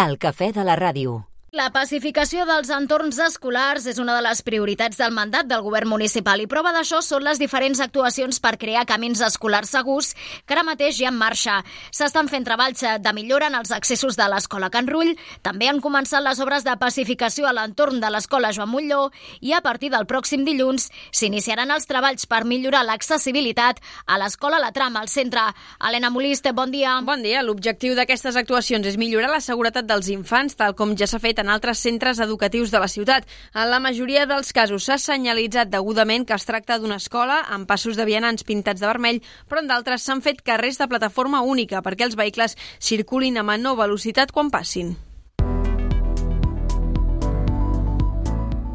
El cafè de la ràdio. La pacificació dels entorns escolars és una de les prioritats del mandat del govern municipal i prova d'això són les diferents actuacions per crear camins escolars segurs que ara mateix hi ha en marxa. S'estan fent treballs de millora en els accessos de l'escola Can Rull, també han començat les obres de pacificació a l'entorn de l'escola Joan Montllor i a partir del pròxim dilluns s'iniciaran els treballs per millorar l'accessibilitat a l'escola La Trama, al centre. Helena Molist, bon dia. Bon dia. L'objectiu d'aquestes actuacions és millorar la seguretat dels infants, tal com ja s'ha fet en altres centres educatius de la ciutat. En la majoria dels casos s'ha senyalitzat degudament que es tracta d'una escola amb passos de vianants pintats de vermell, però en d'altres s'han fet carrers de plataforma única perquè els vehicles circulin a menor velocitat quan passin.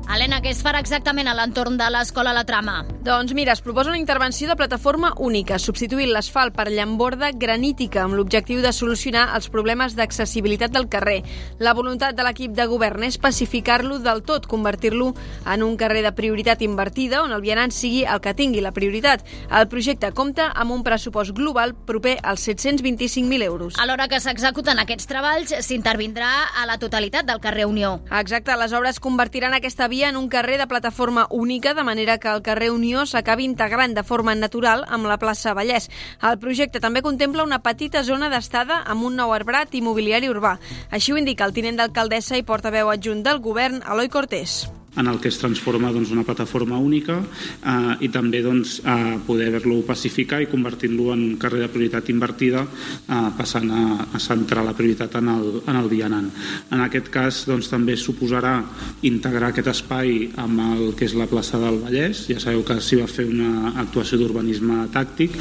Helena, què es farà exactament a l'entorn de l'escola La Trama? Doncs mira, es proposa una intervenció de plataforma única, substituint l'asfalt per llamborda granítica amb l'objectiu de solucionar els problemes d'accessibilitat del carrer. La voluntat de l'equip de govern és pacificar-lo del tot, convertir-lo en un carrer de prioritat invertida on el vianant sigui el que tingui la prioritat. El projecte compta amb un pressupost global proper als 725.000 euros. A l'hora que s'executen aquests treballs, s'intervindrà a la totalitat del carrer Unió. Exacte, les obres convertiran aquesta via en un carrer de plataforma única, de manera que el carrer Unió s'acabi integrant de forma natural amb la plaça Vallès. El projecte també contempla una petita zona d'estada amb un nou arbrat immobiliari urbà. Així ho indica el tinent d'alcaldessa i portaveu adjunt del govern, Eloi Cortés. En el que es transforma una plataforma única i també poder haver-lo pacificar i convertir-lo en carrer de prioritat invertida, passant a centrar la prioritat en el vianant. En aquest cas també suposarà integrar aquest espai amb el que és la plaça del Vallès. Ja sabeu que s'hi va fer una actuació d'urbanisme tàctic.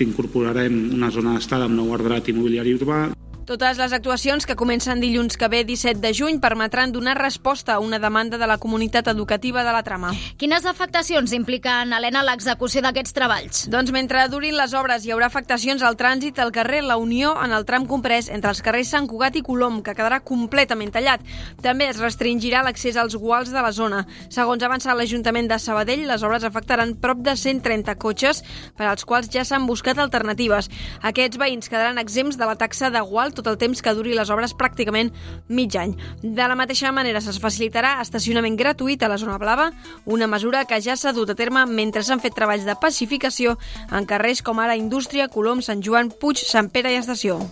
Incorporarem una zona d'estada amb nou arbrat immobiliari urbà. Totes les actuacions, que comencen dilluns que ve 17 de juny, permetran donar resposta a una demanda de la comunitat educativa de La Trama. Quines afectacions impliquen, Helena, l'execució d'aquests treballs? Doncs mentre durin les obres hi haurà afectacions al trànsit al carrer La Unió en el tram comprès entre els carrers Sant Cugat i Colom, que quedarà completament tallat. També es restringirà l'accés als guals de la zona. Segons ha avançat l'Ajuntament de Sabadell, les obres afectaran prop de 130 cotxes, per als quals ja s'han buscat alternatives. Aquests veïns quedaran exempts de la taxa de gual tot el temps que duri les obres, pràcticament mig any. De la mateixa manera, es facilitarà estacionament gratuït a la zona blava, una mesura que ja s'ha dut a terme mentre s'han fet treballs de pacificació en carrers com ara Indústria, Colom, Sant Joan, Puig, Sant Pere i Estació.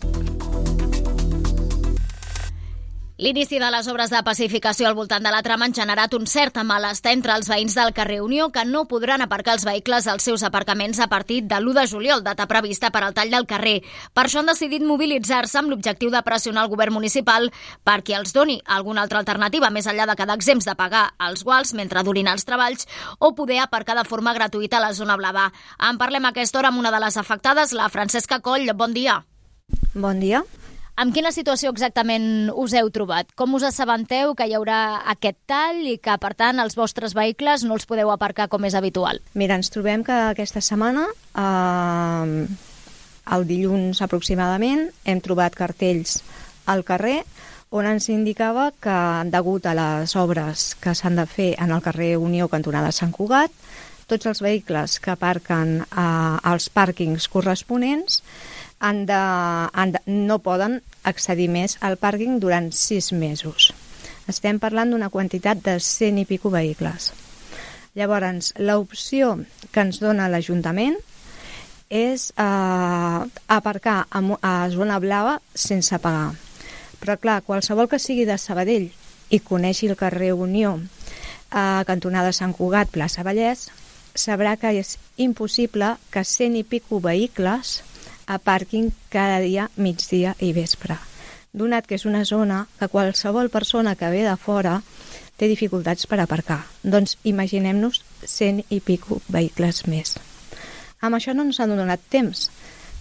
L'inici de les obres de pacificació al voltant de La Trama han generat un cert malestar entre els veïns del carrer Unió, que no podran aparcar els vehicles als seus aparcaments a partir de l'1 de juliol, data prevista per al tall del carrer. Per això han decidit mobilitzar-se amb l'objectiu de pressionar el govern municipal perquè els doni alguna altra alternativa més enllà de quedar exempts de pagar els guals mentre durin els treballs o poder aparcar de forma gratuïta a la zona blava. En parlem a aquesta hora amb una de les afectades, la Francesca Coll. Bon dia. Bon dia. Amb quina situació exactament us heu trobat? Com us assabenteu que hi haurà aquest tall i que, per tant, els vostres vehicles no els podeu aparcar com és habitual? Mira, ens trobem que aquesta setmana, el dilluns aproximadament, hem trobat cartells al carrer on ens indicava que, degut a les obres que s'han de fer en el carrer Unió cantonada Sant Cugat, tots els vehicles que aparquen als pàrquings corresponents no poden accedir més al pàrquing durant 6 mesos. Estem parlant d'una quantitat de 100 i pico vehicles. Llavors, l'opció que ens dona l'Ajuntament és aparcar a zona blava sense pagar. Però clar, qualsevol que sigui de Sabadell i coneixi el carrer Unió, cantonada Sant Cugat, plaça Vallès, sabrà que és impossible que 100 i pico vehicles aparquin cada dia, migdia i vespre. Donat que és una zona que qualsevol persona que ve de fora té dificultats per aparcar. Doncs imaginem-nos 100 i pico vehicles més. Amb això no ens han donat temps,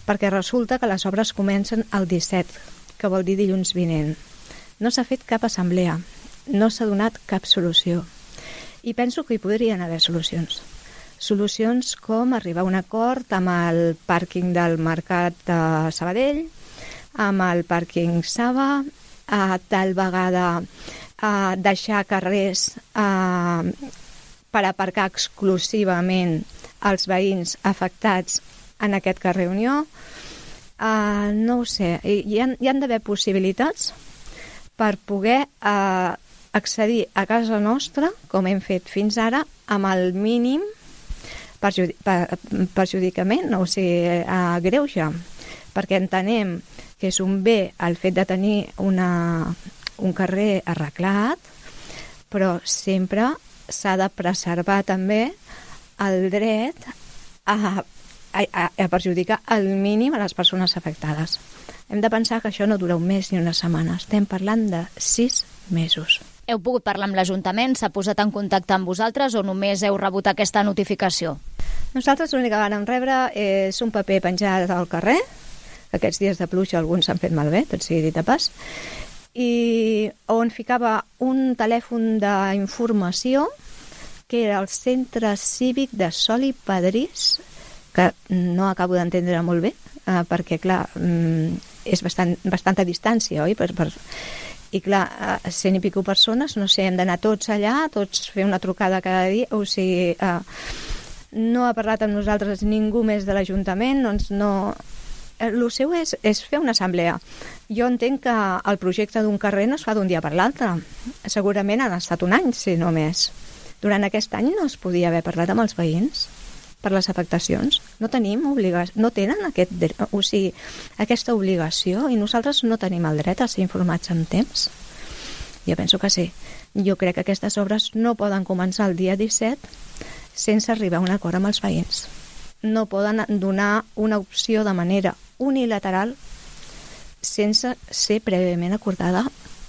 perquè resulta que les obres comencen el 17, que vol dir dilluns vinent. No s'ha fet cap assemblea, no s'ha donat cap solució. I penso que hi podrien haver solucions. Solucions com arribar a un acord amb el pàrquing del Mercat de Sabadell, amb el pàrquing Saba, tal vegada deixar carrers per aparcar exclusivament els veïns afectats en aquest carrer Unió. No ho sé, hi han d'haver possibilitats per poder accedir a casa nostra, com hem fet fins ara, amb el mínim perjudicament, o sigui, greuge, perquè entenem que és un bé el fet de tenir un carrer arreglat, però sempre s'ha de preservar també el dret a perjudicar al mínim a les persones afectades. Hem de pensar que això no dura un mes ni una setmana, estem parlant de 6 mesos. Heu pogut parlar amb l'Ajuntament? S'ha posat en contacte amb vosaltres o només heu rebut aquesta notificació? Nosaltres l'únic que vam rebre és un paper penjat al carrer. Aquests dies de pluja alguns s'han fet malbé, tot sigui dit de pas, i on ficava un telèfon d'informació que era el Centre Cívic de Sol i Pedrís, que no acabo d'entendre molt bé, perquè, clar, és bastanta distància, oi? I, clar, 100 i pico persones, no sé, hem d'anar tots allà, tots fer una trucada cada dia, o sigui, no ha parlat amb nosaltres ningú més de l'Ajuntament, doncs no... El seu és fer una assemblea. Jo entenc que el projecte d'un carrer no es fa d'un dia per l'altre. Segurament han estat un any, si no més. Durant aquest any no es podia haver parlat amb els veïns per les afectacions. No tenim no tenen aquesta obligació i nosaltres no tenim el dret a ser informats en temps. Jo penso que sí. Jo crec que aquestes obres no poden començar el dia 17 sense arribar a un acord amb els veïns. No poden donar una opció de manera unilateral sense ser prèviament acordada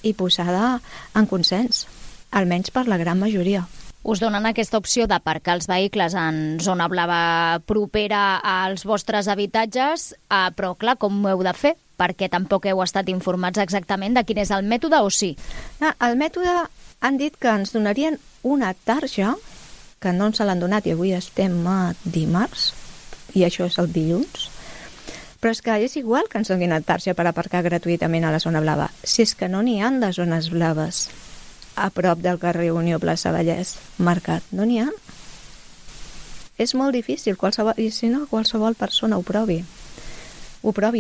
i posada en consens, almenys per la gran majoria. Us donen aquesta opció d'aparcar els vehicles en zona blava propera als vostres habitatges, però clar, com ho heu de fer? Perquè tampoc heu estat informats exactament de quin és el mètode, o sí? El mètode han dit que ens donarien una tarja, que no ens l'han donat i avui estem a dimarts, i això és el dilluns, però és que és igual que ens donin una tarja per aparcar gratuïtament a la zona blava, si és que no n'hi ha de zones blaves a prop del carrer Unió Plaça Vallès marcat, no n'hi ha. És molt difícil, i si no, qualsevol persona ho provi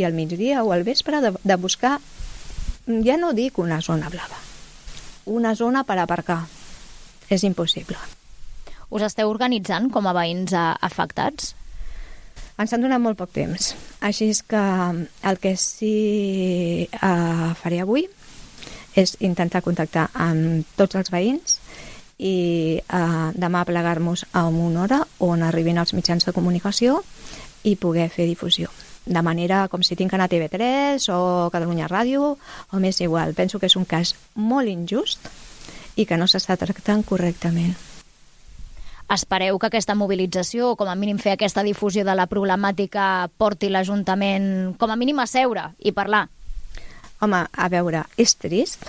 al migdia o al vespre de buscar, ja no dic una zona blava, una zona per aparcar. És impossible. Us esteu organitzant com a veïns afectats? Ens han donat molt poc temps, així és que el que sí faré avui és intentar contactar amb tots els veïns i demà plegar-nos a una hora on arribin els mitjans de comunicació i poder fer difusió. De manera com si tinc que anar a TV3 o Catalunya Ràdio o m'és igual. Penso que és un cas molt injust i que no s'està tractant correctament. Espereu que aquesta mobilització, o com a mínim fer aquesta difusió de la problemàtica, porti l'Ajuntament com a mínim a seure i parlar? Home, a veure, és trist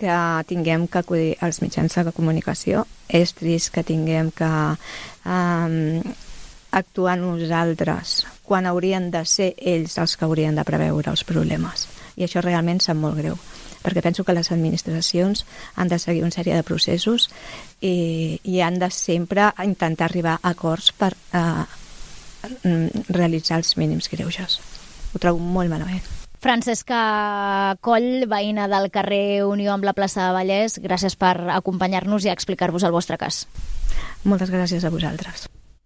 que tinguem que acudir als mitjans de comunicació, és trist que tinguem que actuar nosaltres quan haurien de ser ells els que haurien de preveure els problemes. I això realment sap molt greu, perquè penso que les administracions han de seguir una sèrie de processos i han de sempre intentar arribar a acords per realitzar els mínims greuges. Ho trobo molt malament. Francesca Coll, veïna del carrer Unió amb la plaça de Vallès, gràcies per acompanyar-nos i explicar-vos el vostre cas. Moltes gràcies a vosaltres.